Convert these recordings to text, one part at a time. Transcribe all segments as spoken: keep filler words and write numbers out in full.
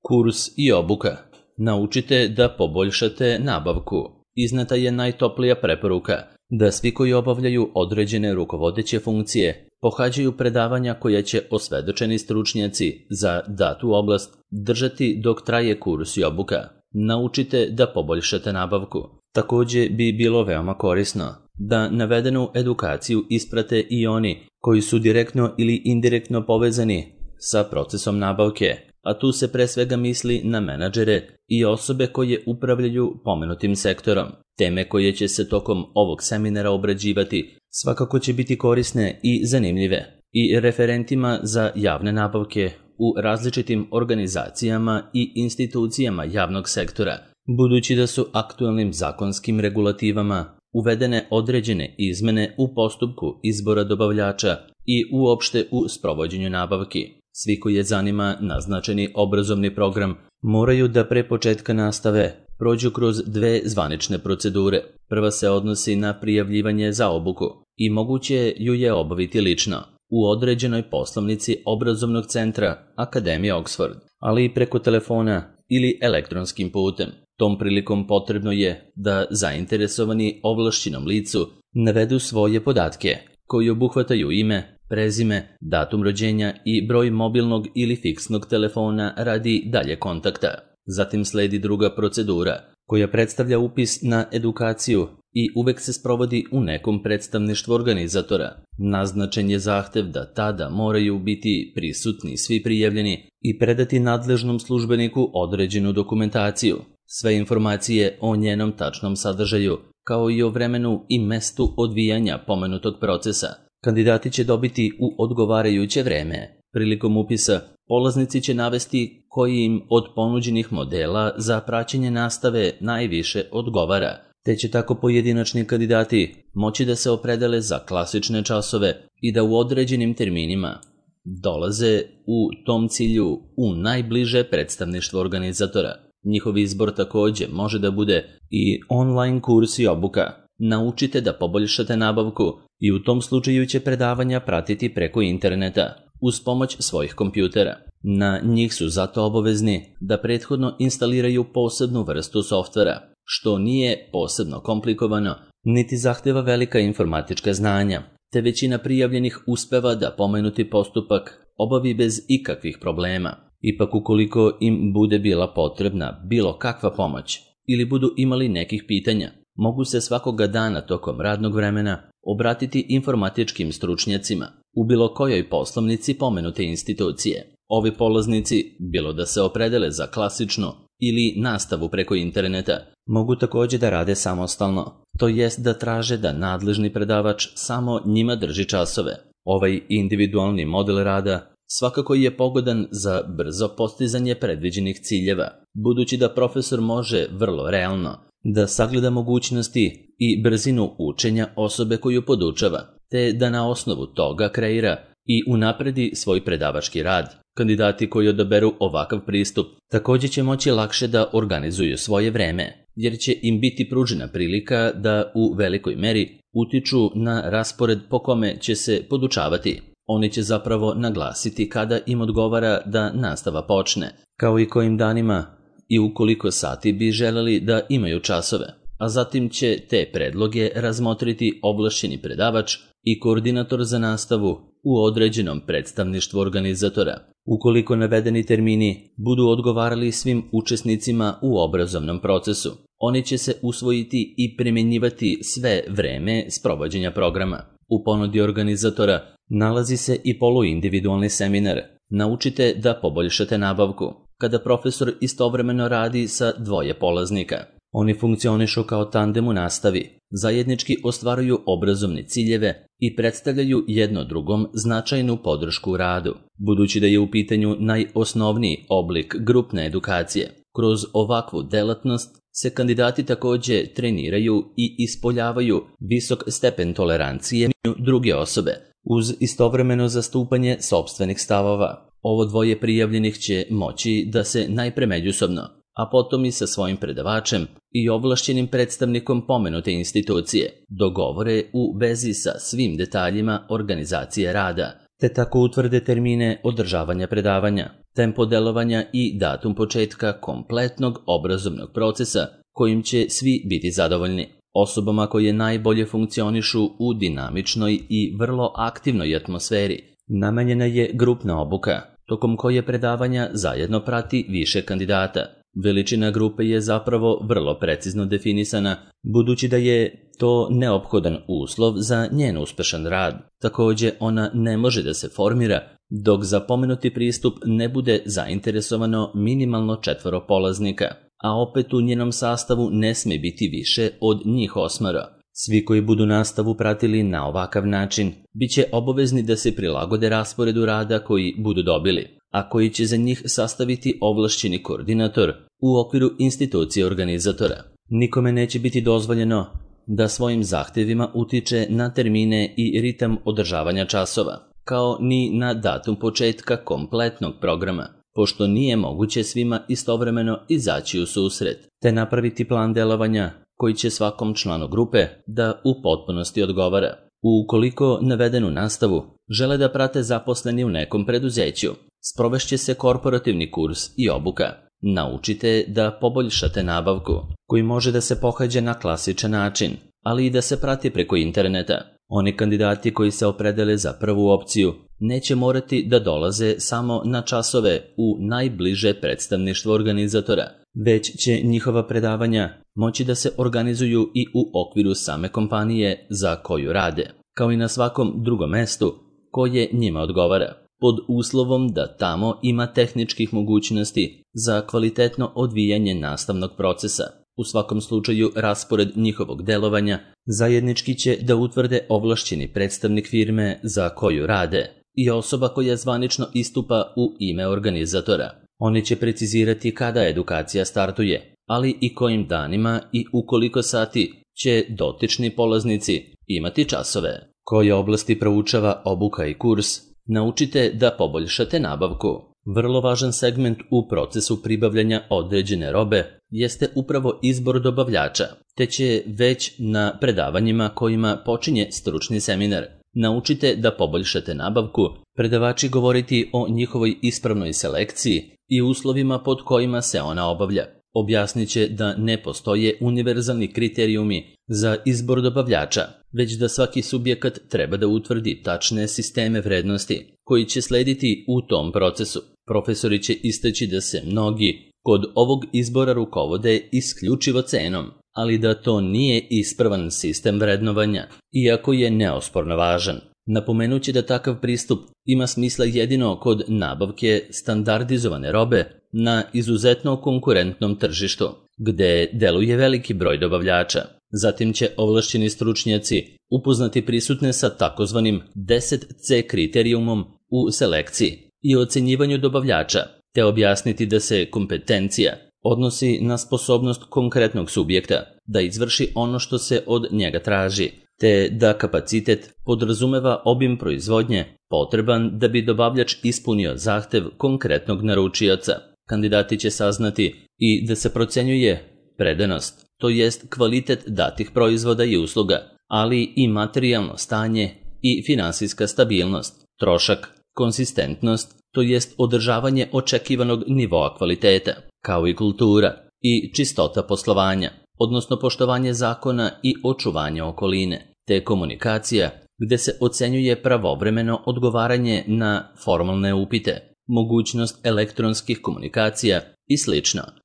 Kurs i obuka. Naučite da poboljšate nabavku. Izneta je najtoplija preporuka da svi koji obavljaju određene rukovodeće funkcije pohađaju predavanja koja će osvedočeni stručnjaci za datu oblast držati dok traje kurs i obuka. Naučite da poboljšate nabavku. Također bi bilo veoma korisno da navedenu edukaciju isprate i oni koji su direktno ili indirektno povezani sa procesom nabavke, a tu se pre svega misli na menadžere i osobe koje upravljaju pomenutim sektorom. Teme koje će se tokom ovog seminara obrađivati svakako će biti korisne i zanimljive i referentima za javne nabavke u različitim organizacijama i institucijama javnog sektora, budući da su aktualnim zakonskim regulativama uvedene određene izmene u postupku izbora dobavljača i uopšte u sprovođenju nabavki. Svi koji je zanima naznačeni obrazovni program moraju da pre početka nastave prođu kroz dve zvanične procedure. Prva se odnosi na prijavljivanje za obuku i moguće ju je obaviti lično u određenoj poslovnici obrazovnog centra Akademije Oxford, ali i preko telefona ili elektronskim putem. Tom prilikom potrebno je da zainteresovani ovlašćenom licu navedu svoje podatke koji obuhvataju ime, prezime, datum rođenja i broj mobilnog ili fiksnog telefona radi dalje kontakta. Zatim sledi druga procedura koja predstavlja upis na edukaciju i uvek se sprovodi u nekom predstavništvu organizatora. Naznačen je zahtev da tada moraju biti prisutni svi prijavljeni i predati nadležnom službeniku određenu dokumentaciju. Sve informacije o njenom tačnom sadržaju, kao i o vremenu i mestu odvijanja pomenutog procesa, kandidati će dobiti u odgovarajuće vreme. Prilikom upisa, polaznici će navesti koji im od ponuđenih modela za praćenje nastave najviše odgovara, te će tako pojedinačni kandidati moći da se opredele za klasične časove i da u određenim terminima dolaze u tom cilju u najbliže predstavništvo organizatora. Njihov izbor također može da bude i online kurs i obuka. Naučite da poboljšate nabavku i u tom slučaju će predavanja pratiti preko interneta uz pomoć svojih kompjutera. Na njih su zato obavezni da prethodno instaliraju posebnu vrstu softvera, što nije posebno komplikovano, niti zahteva velika informatička znanja, te većina prijavljenih uspeva da pomenuti postupak obavi bez ikakvih problema. Ipak ukoliko im bude bila potrebna bilo kakva pomoć ili budu imali nekih pitanja, mogu se svakoga dana tokom radnog vremena obratiti informatičkim stručnjacima u bilo kojoj poslovnici pomenute institucije. Ovi polaznici, bilo da se opredele za klasičnu ili nastavu preko interneta, mogu također da rade samostalno, to jest da traže da nadležni predavač samo njima drži časove. Ovaj individualni model rada svakako je pogodan za brzo postizanje predviđenih ciljeva, budući da profesor može vrlo realno da sagleda mogućnosti i brzinu učenja osobe koju podučava, te da na osnovu toga kreira i unapredi svoj predavački rad. Kandidati koji odaberu ovakav pristup također će moći lakše da organizuju svoje vreme, jer će im biti pružena prilika da u velikoj meri utiču na raspored po kome će se podučavati. Oni će zapravo naglasiti kada im odgovara da nastava počne, kao i kojim danima i u koliko sati bi želeli da imaju časove, a zatim će te predloge razmotriti ovlašćeni predavač i koordinator za nastavu u određenom predstavništvu organizatora. Ukoliko navedeni termini budu odgovarali svim učesnicima u obrazovnom procesu, oni će se usvojiti i primjenjivati sve vreme sprovođenja programa. U ponudi organizatora nalazi se i poluindividualni seminar Naučite da poboljšate nabavku, kada profesor istovremeno radi sa dvoje polaznika. Oni funkcionišu kao tandem u nastavi, zajednički ostvaruju obrazovne ciljeve i predstavljaju jedno drugom značajnu podršku u radu. Budući da je u pitanju najosnovniji oblik grupne edukacije, kroz ovakvu delatnost se kandidati također treniraju i ispoljavaju visok stepen tolerancije druge osobe, uz istovremeno zastupanje sopstvenih stavova. Ovo dvoje prijavljenih će moći da se najpre međusobno, a potom i sa svojim predavačem i ovlašćenim predstavnikom pomenute institucije dogovore u vezi sa svim detaljima organizacije rada te tako utvrde termine održavanja predavanja, tempo delovanja i datum početka kompletnog obrazovnog procesa kojim će svi biti zadovoljni. Osobama koje najbolje funkcionišu u dinamičnoj i vrlo aktivnoj atmosferi namenjena je grupna obuka, tokom koje predavanja zajedno prati više kandidata. Veličina grupe je zapravo vrlo precizno definisana, budući da je to neophodan uslov za njen uspešan rad. Također, ona ne može da se formira dok za pomenuti pristup ne bude zainteresovano minimalno četvoro polaznika, a opet u njenom sastavu ne sme biti više od njih osmoro. Svi koji budu nastavu pratili na ovakav način bit će obavezni da se prilagode rasporedu rada koji budu dobili, a koji će za njih sastaviti ovlašćeni koordinator u okviru institucije organizatora. Nikome neće biti dozvoljeno da svojim zahtevima utiče na termine i ritam održavanja časova, kao ni na datum početka kompletnog programa, pošto nije moguće svima istovremeno izaći u susret, te napraviti plan delovanja koji će svakom članu grupe da u potpunosti odgovara. Ukoliko navedenu nastavu žele da prate zaposleni u nekom preduzeću, sprovešće se korporativni kurs i obuka. Naučite da poboljšate nabavku, koji može da se pohađa na klasičan način, ali i da se prati preko interneta. Oni kandidati koji se opredele za prvu opciju neće morati da dolaze samo na časove u najbliže predstavništvo organizatora, već će njihova predavanja moći da se organizuju i u okviru same kompanije za koju rade, kao i na svakom drugom mestu koje njima odgovara, pod uslovom da tamo ima tehničkih mogućnosti za kvalitetno odvijanje nastavnog procesa. U svakom slučaju, raspored njihovog delovanja zajednički će da utvrde ovlašćeni predstavnik firme za koju rade i osoba koja zvanično istupa u ime organizatora. Oni će precizirati kada edukacija startuje, ali i kojim danima i u koliko sati će dotični polaznici imati časove. Koje oblasti proučava obuka i kurs, naučite da poboljšate nabavku. Vrlo važan segment u procesu pribavljanja određene robe jeste upravo izbor dobavljača, te će već na predavanjima kojima počinje stručni seminar naučite da poboljšate nabavku, predavači govoriti o njihovoj ispravnoj selekciji i uslovima pod kojima se ona obavlja. Objasnit će da ne postoje univerzalni kriterijumi za izbor dobavljača, već da svaki subjekat treba da utvrdi tačne sisteme vrednosti koji će slediti u tom procesu. Profesori će istaći da se mnogi kod ovog izbora rukovode isključivo cenom, ali da to nije ispravan sistem vrednovanja, iako je neosporno važan. Napomenući da takav pristup ima smisla jedino kod nabavke standardizovane robe na izuzetno konkurentnom tržištu, gde deluje veliki broj dobavljača. Zatim će ovlašćeni stručnjaci upoznati prisutne sa takozvanim deset ce kriterijumom u selekciji i ocenjivanju dobavljača, te objasniti da se kompetencija odnosi na sposobnost konkretnog subjekta da izvrši ono što se od njega traži, te da kapacitet podrazumeva obim proizvodnje potreban da bi dobavljač ispunio zahtev konkretnog naručioca. Kandidati će saznati i da se procenjuje predanost, to jest kvalitet datih proizvoda i usluga, ali i materijalno stanje i finansijska stabilnost, trošak, konsistentnost, to jest održavanje očekivanog nivoa kvaliteta, kao i kultura i čistota poslovanja, odnosno poštovanje zakona i očuvanje okoline, te komunikacija, gde se ocenjuje pravovremeno odgovaranje na formalne upite, mogućnost elektronskih komunikacija i sl.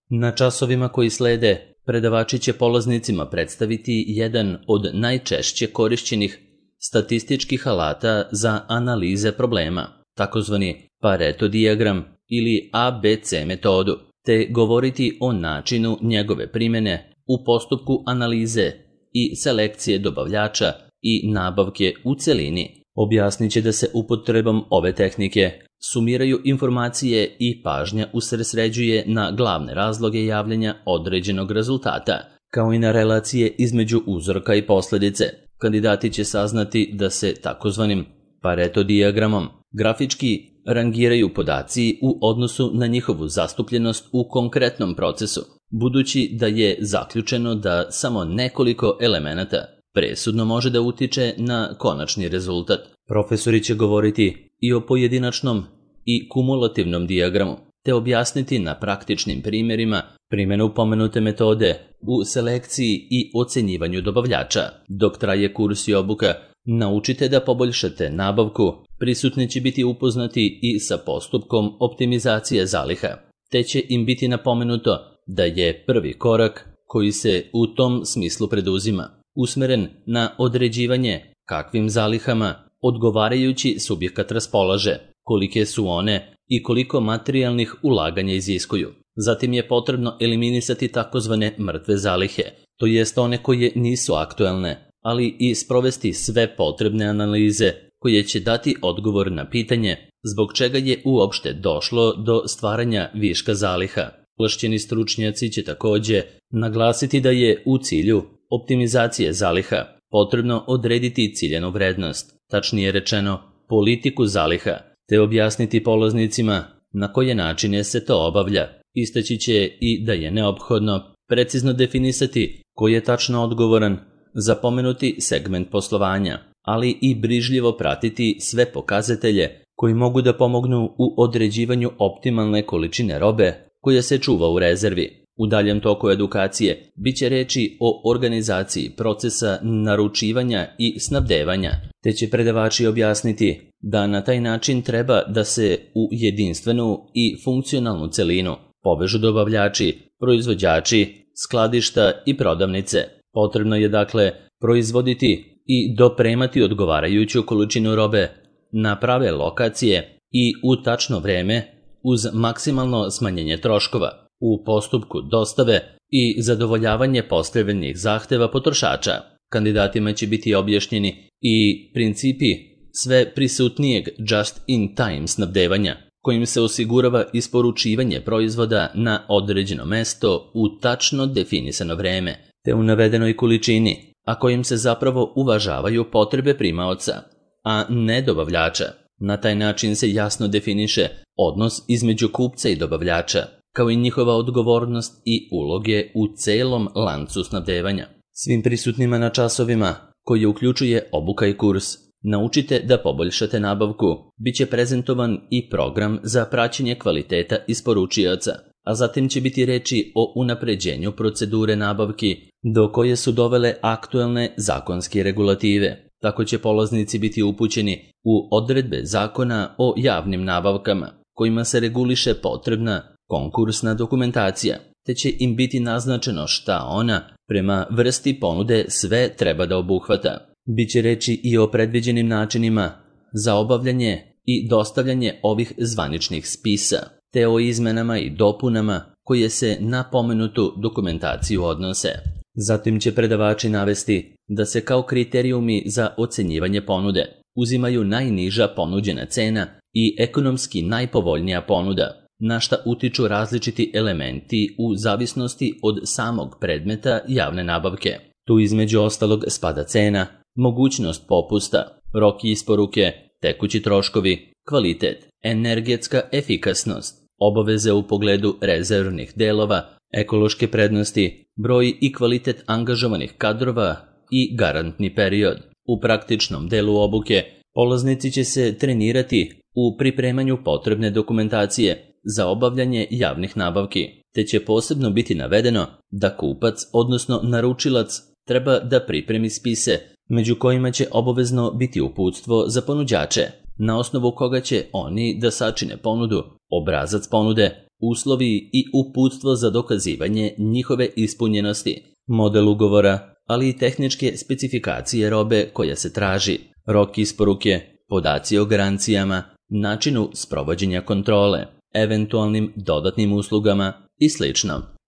Na časovima koji slede, predavači će polaznicima predstaviti jedan od najčešće korišćenih statističkih alata za analize problema, takozvani Pareto dijagram ili A B C metodu, te govoriti o načinu njegove primjene u postupku analize i selekcije dobavljača i nabavke u celini. Objasnit će da se upotrebom ove tehnike sumiraju informacije i pažnja usredsređuje na glavne razloge javljanja određenog rezultata, kao i na relacije između uzroka i posljedice. Kandidati će saznati da se takozvanim Pareto dijagramom grafički rangiraju podaci u odnosu na njihovu zastupljenost u konkretnom procesu, budući da je zaključeno da samo nekoliko elemenata presudno može da utiče na konačni rezultat. Profesori će govoriti i o pojedinačnom i kumulativnom dijagramu, te objasniti na praktičnim primjerima primjenu pomenute metode u selekciji i ocenjivanju dobavljača. Dok traje kurs i obuka, naučite da poboljšate nabavku, prisutni će biti upoznati i sa postupkom optimizacije zaliha, te će im biti napomenuto da je prvi korak koji se u tom smislu preduzima usmeren na određivanje kakvim zalihama odgovarajući subjekat raspolaže, kolike su one i koliko materijalnih ulaganja iziskuju. Zatim je potrebno eliminisati takozvane mrtve zalihe, to jest one koje nisu aktuelne, ali i sprovesti sve potrebne analize koje će dati odgovor na pitanje zbog čega je uopšte došlo do stvaranja viška zaliha. Ovlašćeni stručnjaci će također naglasiti da je u cilju optimizacije zaliha potrebno odrediti ciljanu vrednost, tačnije rečeno politiku zaliha, te objasniti polaznicima na koje načine se to obavlja. Istaći će i da je neophodno precizno definisati ko je tačno odgovoran za pomenuti segment poslovanja, ali i brižljivo pratiti sve pokazatelje koji mogu da pomognu u određivanju optimalne količine robe koja se čuva u rezervi. U daljem toku edukacije bit će reči o organizaciji procesa naručivanja i snabdevanja, te će predavači objasniti da na taj način treba da se u jedinstvenu i funkcionalnu celinu povežu dobavljači, proizvođači, skladišta i prodavnice. Potrebno je dakle proizvoditi i dopremati odgovarajuću količinu robe na prave lokacije i u tačno vreme uz maksimalno smanjenje troškova u postupku dostave i zadovoljavanje postavljenih zahteva potrošača. Kandidatima će biti objašnjeni i principi sve prisutnijeg just-in-time snabdevanja, kojim se osigurava isporučivanje proizvoda na određeno mesto u tačno definisano vreme, te u navedenoj količini, a kojim se zapravo uvažavaju potrebe primaoca, a ne dobavljača. Na taj način se jasno definiše odnos između kupca i dobavljača, kao i njihova odgovornost i uloge u celom lancu snabdevanja. Svim prisutnima na časovima, koji uključuje obuka i kurs, naučite da poboljšate nabavku, bit će prezentovan i program za praćenje kvaliteta isporučioca, a zatim će biti reči o unapređenju procedure nabavki do koje su dovele aktuelne zakonske regulative. Tako će polaznici biti upućeni u odredbe zakona o javnim nabavkama, kojima se reguliše potrebna konkursna dokumentacija, te će im biti naznačeno šta ona, prema vrsti ponude, sve treba da obuhvata. Biće reči i o predviđenim načinima za obavljanje i dostavljanje ovih zvaničnih spisa, te o izmenama i dopunama koje se na pomenutu dokumentaciju odnose. Zatim će predavači navesti da se kao kriterijumi za ocenjivanje ponude uzimaju najniža ponuđena cena i ekonomski najpovoljnija ponuda, na šta utiču različiti elementi u zavisnosti od samog predmeta javne nabavke. Tu između ostalog spada cena, mogućnost popusta, rok isporuke, tekući troškovi, kvalitet, energetska efikasnost, obaveze u pogledu rezervnih delova, ekološke prednosti, broj i kvalitet angažovanih kadrova i garantni period. U praktičnom delu obuke polaznici će se trenirati u pripremanju potrebne dokumentacije za obavljanje javnih nabavki, te će posebno biti navedeno da kupac, odnosno naručilac, treba da pripremi spise, među kojima će obavezno biti uputstvo za ponuđače, na osnovu koga će oni da sačine ponudu, obrazac ponude, uslovi i uputstvo za dokazivanje njihove ispunjenosti, model ugovora, ali i tehničke specifikacije robe koja se traži, rok isporuke, podaci o garancijama, načinu sprovođenja kontrole, eventualnim dodatnim uslugama i sl.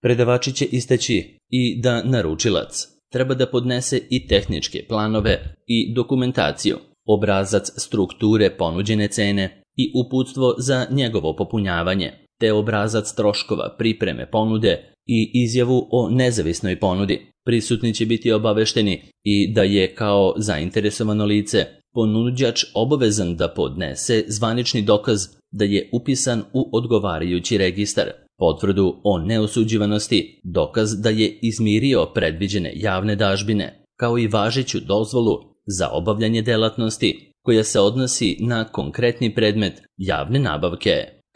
Predavači će istaći i da naručilac treba da podnese i tehničke planove i dokumentaciju, obrazac strukture ponuđene cene i uputstvo za njegovo popunjavanje, te obrazac troškova pripreme ponude i izjavu o nezavisnoj ponudi. Prisutni će biti obavešteni i da je kao zainteresovano lice ponuđač obavezan da podnese zvanični dokaz da je upisan u odgovarajući registar, potvrdu o neosuđivanosti, dokaz da je izmirio predviđene javne dažbine, kao i važeću dozvolu za obavljanje delatnosti, koja se odnosi na konkretni predmet javne nabavke.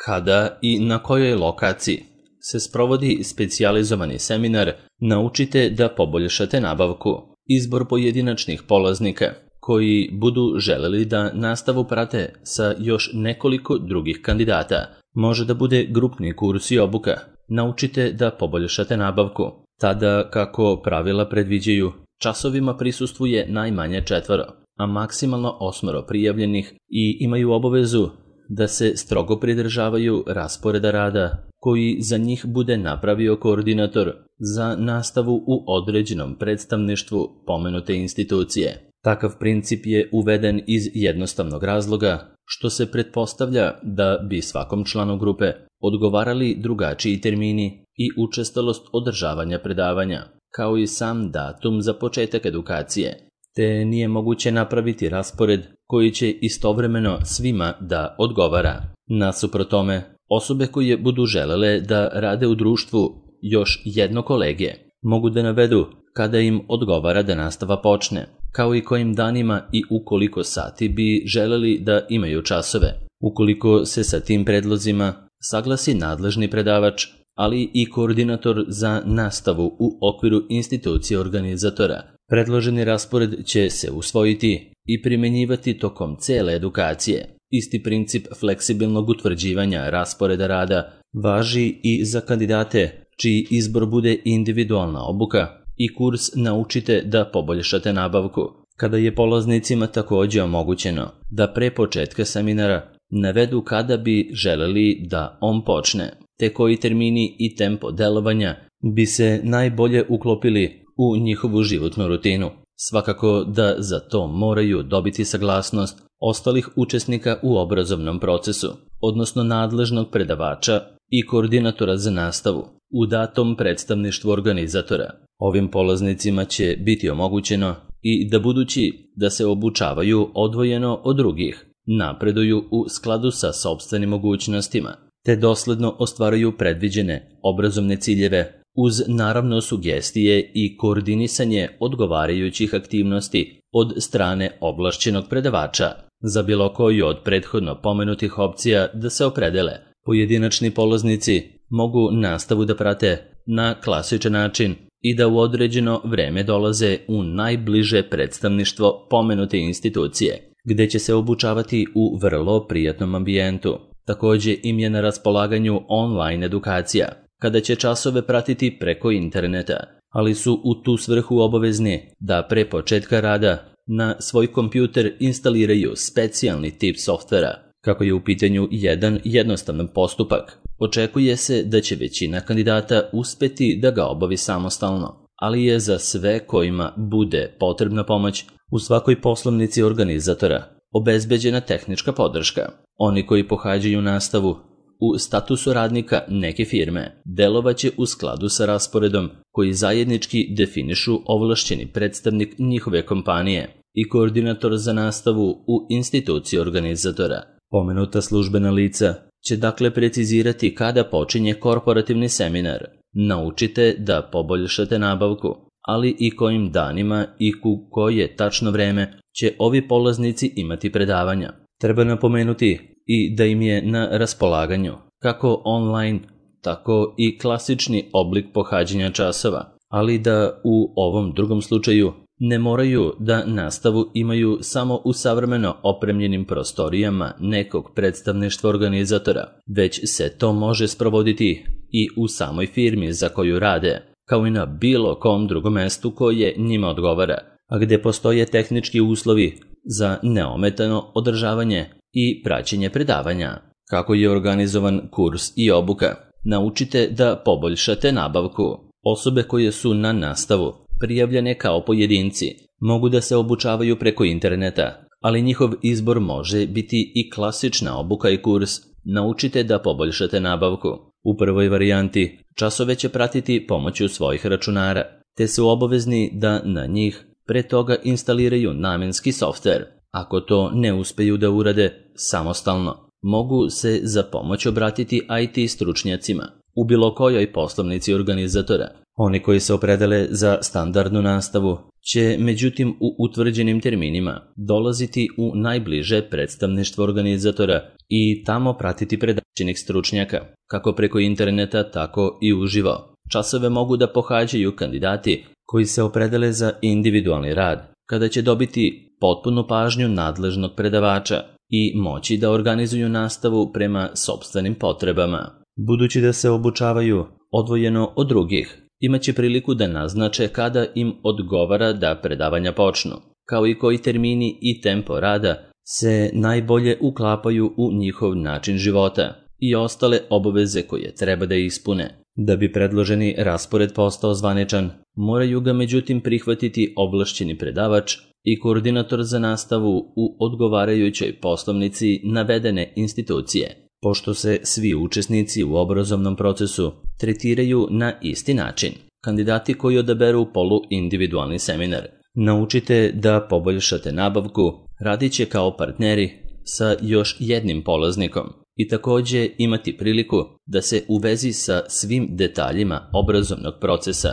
Kada i na kojoj lokaciji se sprovodi specijalizovani seminar, naučite da poboljšate nabavku. Izbor pojedinačnih polaznika koji budu želeli da nastavu prate sa još nekoliko drugih kandidata. Može da bude grupni kurs i obuka. Naučite da poboljšate nabavku. Tada, kako pravila predviđaju, časovima prisustvuje najmanje četvoro, a maksimalno osmoro prijavljenih i imaju obavezu da se strogo pridržavaju rasporeda rada koji za njih bude napravio koordinator za nastavu u određenom predstavništvu pomenute institucije. Takav princip je uveden iz jednostavnog razloga što se pretpostavlja da bi svakom članu grupe odgovarali drugačiji termini i učestalost održavanja predavanja, kao i sam datum za početak edukacije, te nije moguće napraviti raspored koji će istovremeno svima da odgovara. Nasuprot tome, osobe koje budu želele da rade u društvu još jedno kolege mogu da navedu kada im odgovara da nastava počne, kao i kojim danima i u koliko sati bi želeli da imaju časove. Ukoliko se sa tim predlozima saglasi nadležni predavač, ali i koordinator za nastavu u okviru institucije organizatora, predloženi raspored će se usvojiti i primenjivati tokom cele edukacije. Isti princip fleksibilnog utvrđivanja rasporeda rada važi i za kandidate čiji izbor bude individualna obuka i kurs Naučite da poboljšate nabavku, kada je polaznicima takođe omogućeno da pre početka seminara navedu kada bi želeli da on počne, te koji termini i tempo delovanja bi se najbolje uklopili u njihovu životnu rutinu. Svakako da za to moraju dobiti saglasnost ostalih učesnika u obrazovnom procesu, odnosno nadležnog predavača i koordinatora za nastavu u datom predstavništvu organizatora. Ovim polaznicima će biti omogućeno i da budući da se obučavaju odvojeno od drugih, napreduju u skladu sa sopstvenim mogućnostima, te dosledno ostvaruju predviđene obrazovne ciljeve uz naravno sugestije i koordinisanje odgovarajućih aktivnosti od strane ovlašćenog predavača. Za bilo koju od prethodno pomenutih opcija da se opredele, pojedinačni polaznici mogu nastavu da prate na klasičan način i da u određeno vreme dolaze u najbliže predstavništvo pomenute institucije, gde će se obučavati u vrlo prijatnom ambijentu. Takođe im je na raspolaganju online edukacija, kada će časove pratiti preko interneta, ali su u tu svrhu obavezni da pre početka rada na svoj kompjuter instaliraju specijalni tip softvera. Kako je u pitanju jedan jednostavan postupak, očekuje se da će većina kandidata uspeti da ga obavi samostalno, ali je za sve kojima bude potrebna pomoć u svakoj poslovnici organizatora obezbeđena tehnička podrška. Oni koji pohađaju nastavu u statusu radnika neke firme delovaće u skladu sa rasporedom koji zajednički definišu ovlašćeni predstavnik njihove kompanije i koordinator za nastavu u instituciji organizatora. Pomenuta službena lica će dakle precizirati kada počinje korporativni seminar. Naučite da poboljšate nabavku, ali i kojim danima i u koje tačno vreme će ovi polaznici imati predavanja. Treba napomenuti i da im je na raspolaganju kako online, tako i klasični oblik pohađanja časova, ali da u ovom drugom slučaju ne moraju da nastavu imaju samo u savremeno opremljenim prostorijama nekog predstavništva organizatora, već se to može sprovoditi i u samoj firmi za koju rade, kao i na bilo kom drugom mestu koje njima odgovara, a gde postoje tehnički uslovi za neometano održavanje i praćenje predavanja. Kako je organizovan kurs i obuka? Naučite da poboljšate nabavku. Osobe koje su na nastavu prijavljene kao pojedinci mogu da se obučavaju preko interneta, ali njihov izbor može biti i klasična obuka i kurs Naučite da poboljšate nabavku. U prvoj varijanti časove će pratiti pomoću svojih računara, te su obavezni da na njih pre toga instaliraju namenski softver. Ako to ne uspeju da urade samostalno, mogu se za pomoć obratiti I T stručnjacima u bilo kojoj poslovnici organizatora Oni koji se opredele za standardnu nastavu će, međutim, u utvrđenim terminima dolaziti u najbliže predstavništvo organizatora i tamo pratiti predavateljnih stručnjaka, kako preko interneta, tako i uživo. Časove mogu da pohađaju kandidati koji se opredele za individualni rad, kada će dobiti potpunu pažnju nadležnog predavača i moći da organizuju nastavu prema sopstvenim potrebama. Budući da se obučavaju odvojeno od drugih, imaće priliku da naznače kada im odgovara da predavanja počnu, kao i koji termini i tempo rada se najbolje uklapaju u njihov način života i ostale obaveze koje treba da ispune. Da bi predloženi raspored postao zvaničan, moraju ga međutim prihvatiti ovlašćeni predavač i koordinator za nastavu u odgovarajućoj poslovnici navedene institucije. Pošto se svi učesnici u obrazovnom procesu tretiraju na isti način, kandidati koji odaberu poluindividualni seminar naučite da poboljšate nabavku radit će kao partneri sa još jednim polaznikom i takođe imati priliku da se u vezi sa svim detaljima obrazovnog procesa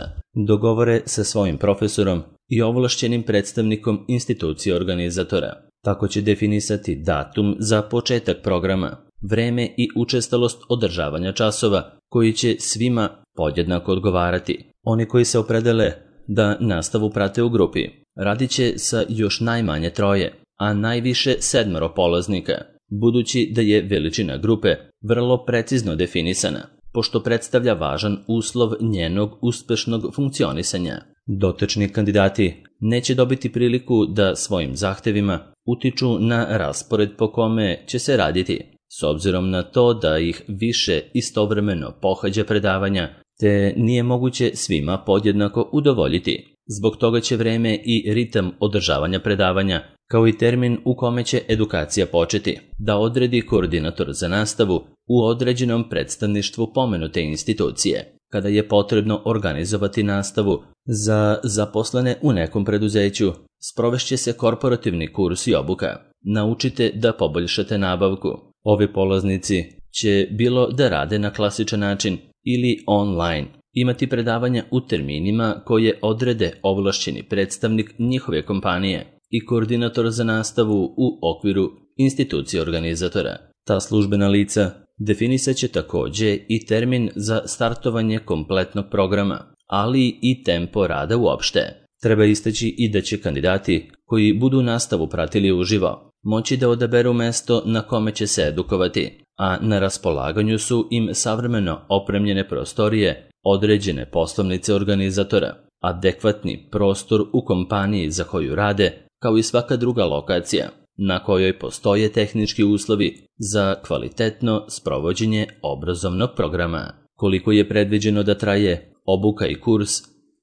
dogovore sa svojim profesorom i ovlašćenim predstavnikom institucije organizatora. Tako će definisati datum za početak programa, vreme i učestalost održavanja časova koji će svima podjednako odgovarati. Oni koji se opredele da nastavu prate u grupi radit će sa još najmanje troje, a najviše sedmero polaznika, budući da je veličina grupe vrlo precizno definisana, pošto predstavlja važan uslov njenog uspešnog funkcionisanja. Dotični kandidati neće dobiti priliku da svojim zahtevima utiču na raspored po kome će se raditi, s obzirom na to da ih više istovremeno pohađa predavanja, te nije moguće svima podjednako udovoljiti. Zbog toga će vreme i ritam održavanja predavanja, kao i termin u kome će edukacija početi, da odredi koordinator za nastavu u određenom predstavništvu pomenute institucije. Kada je potrebno organizovati nastavu za zaposlene u nekom preduzeću, sprovešće se korporativni kurs i obuka. Naučite da poboljšate nabavku. Ovi polaznici će bilo da rade na klasičan način ili online, imati predavanja u terminima koje odrede ovlašćeni predstavnik njihove kompanije i koordinator za nastavu u okviru institucije organizatora. Ta službena lica definisat će takođe i termin za startovanje kompletnog programa, ali i tempo rada uopšte. Treba istaći i da će kandidati koji budu nastavu pratili uživo moći da odaberu mesto na kome će se edukovati, a na raspolaganju su im savremeno opremljene prostorije, određene poslovnice organizatora, adekvatni prostor u kompaniji za koju rade, kao i svaka druga lokacija na kojoj postoje tehnički uslovi za kvalitetno sprovođenje obrazovnog programa. Koliko je predviđeno da traje obuka i kurs,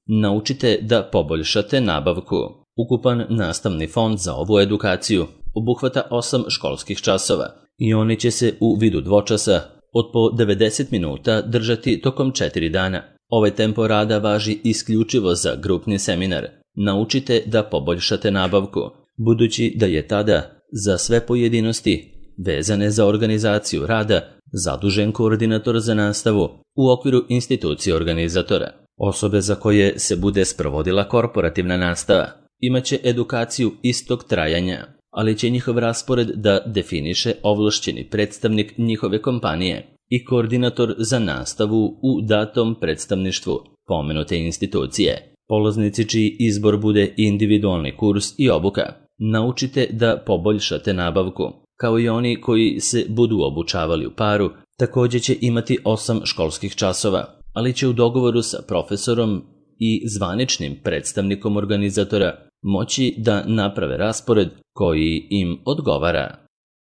naučite da poboljšate nabavku. Ukupan nastavni fond za ovu edukaciju obuhvata osam školskih časova i oni će se u vidu dvočasa od po devedeset minuta držati tokom četiri dana. Ovaj tempo rada važi isključivo za grupni seminar. Naučite da poboljšate nabavku, budući da je tada za sve pojedinosti vezane za organizaciju rada zadužen koordinator za nastavu u okviru institucije organizatora. Osobe za koje se bude sprovodila korporativna nastava imaće edukaciju istog trajanja, ali će njihov raspored da definiše ovlašćeni predstavnik njihove kompanije i koordinator za nastavu u datom predstavništvu pomenute institucije. Polaznici čiji izbor bude individualni kurs i obuka, naučite da poboljšate nabavku. Kao i oni koji se budu obučavali u paru, takođe će imati osam školskih časova, ali će u dogovoru sa profesorom i zvaničnim predstavnikom organizatora moći da naprave raspored koji im odgovara.